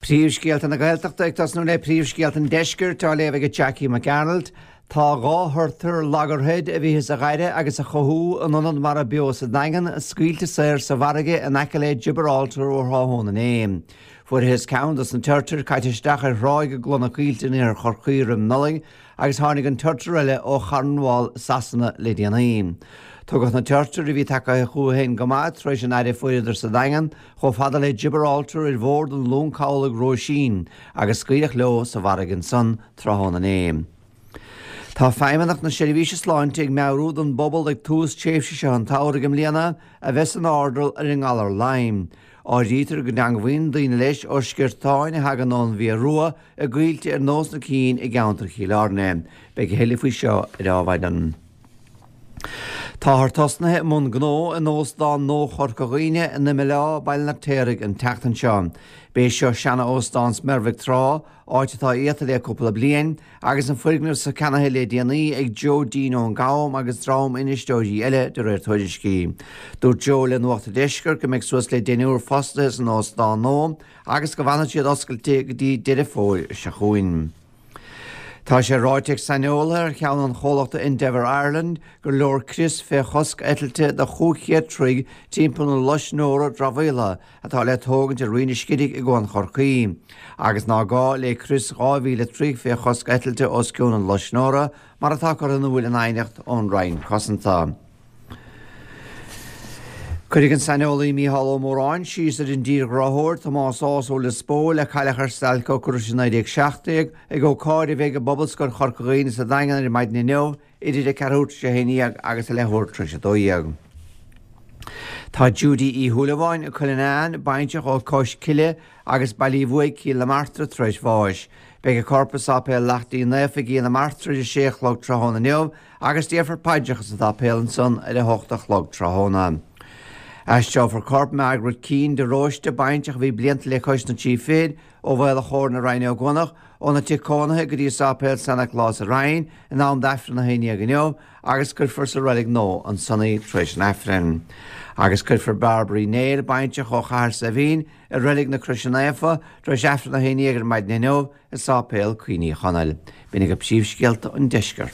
Príomhscéalta na Gaeltachta ag tosnú le príomhscéalta an Deiscirt á léamh ag Jackie Mac Gearailt. Tá 2 thurtar Loggerhead a bhíothas a ghaire agus a chothú in ionad mara beo sa Daingean scaoilte saor sa bhfarraige in aice le Gibraltar ó thráthnóna inné. Fuarthas ceann dos na turtair caite isteach ar thráigh i gCloich na Coillte in iarthar Chorcaí roim Nollaig agus tháinig an turtar eile ó Chornwall, Sasana le déanaí. Tugadh na turtair, a bhí tagaithe chucu féin go maith tar éis an aire a fuaireadar sa Daingean, chomh fada le Gibraltar ar bhord an long cabhlaigh Róisín agus scaoileadh leo sa bhfarraige ansan tráthnóna inné. Tá Feidhmeannacht na Seirbhíse Sláinte ag meabhrú don bpobal ag tús tréimhse seo an tsamhraidh i mbliana a bheith san airdeall ar an ngalar Lyme. Áirítear go dteangmhaíonn daoine leis ó sciortáin a thagann ón bhFia Rua i gcoillte ar nós na cinn i gceantar Chill Airne. Beidh a thuilleadh faoi seo ar Adhmhaidin. Táthar tosnaithe i mbun gnó in Óstán nua Chorca Dhuibhne in Imeall Baile an Fheirtéaraigh an tseachtain seo. B'é seo seana-óstán Smerbhig tráth, áit atá iata le cúpla bliain, agus an foirgneamh so ceannaithe le déanaí ag Joe Deane ón gCam agus dream infheisteoirí eile, de réir tuairiscí. Dúirt Joe le Nuacht an Deiscirt go mbeidh suas le deichniúr fostaithe san óstán nua agus go bhfanfaidh siad oscailte go dtí Deireadh Fómhair seo chugainn. Tá sé ráite ag saineolaithe ar cheann an chomhlachta Endeavour Ireland gur leor crios fé chosc eitilte do 500 troigh timpeall na loiscneora dramhaíola atá le tógaint ar Rinn an Scidígh i gCuan Chorcaí, agus ná gá le crios 2,000 troigh fé chosc eitilte os cionn an loiscneora mar atá curtha in iúil in aighneacht ón Roinn Cosanta. Cuirfidh an saineolaí Mícheál Ó Móráin síos ar an dtírghráthóir Tomás Ághas ó Lios Póil a cailleadh ar stailc ocrais i 1917 ag ócáid a bheidh i bPobalscoil Chorca Dhuibhne sa Daingean ar maidin inniu idir a ceathrú tar éis a 11 agus a leathuair tar éis a 12. Tá Judy Uí Shúilleabháin, Coill an Eáin, baintreach ó Cois Cille agus Baile Uí Bhuaigh, Cill na Martra, tar éis bháis. Beidh a corp i Sáipéal Leacht Dé Naofa i gCill na Martra ar a sé a chlog tráthnóna inniu agus déarfar paidreacha sa tsáipéal ansan ar a hocht a chlog tráthnóna. Aistreofar corp Margaret Keane de Róiste, baintreach a bhí blianta le cois na dtrí fichid, ó Mhaol a' Chóir na Roinne Ó gCuanach, óna tigh cónaithe go dtí Sáipéal San Nioclás sa Rinn in am d'Aifreann a haon dhéag inniu agus cuirfear sa reilig nua ansan í tar éis an Aifrinn. Agus cuirfear Barbara Uí Néill, baintreach ó Chathair Saidhbhín, i Reilig na Croise Naofa tar éis Aifreann a haon dhéag ar maidin inniu i Sáipéal Cuimhní Chonaill. B'in agaibh príomhscéalta an deiscirt.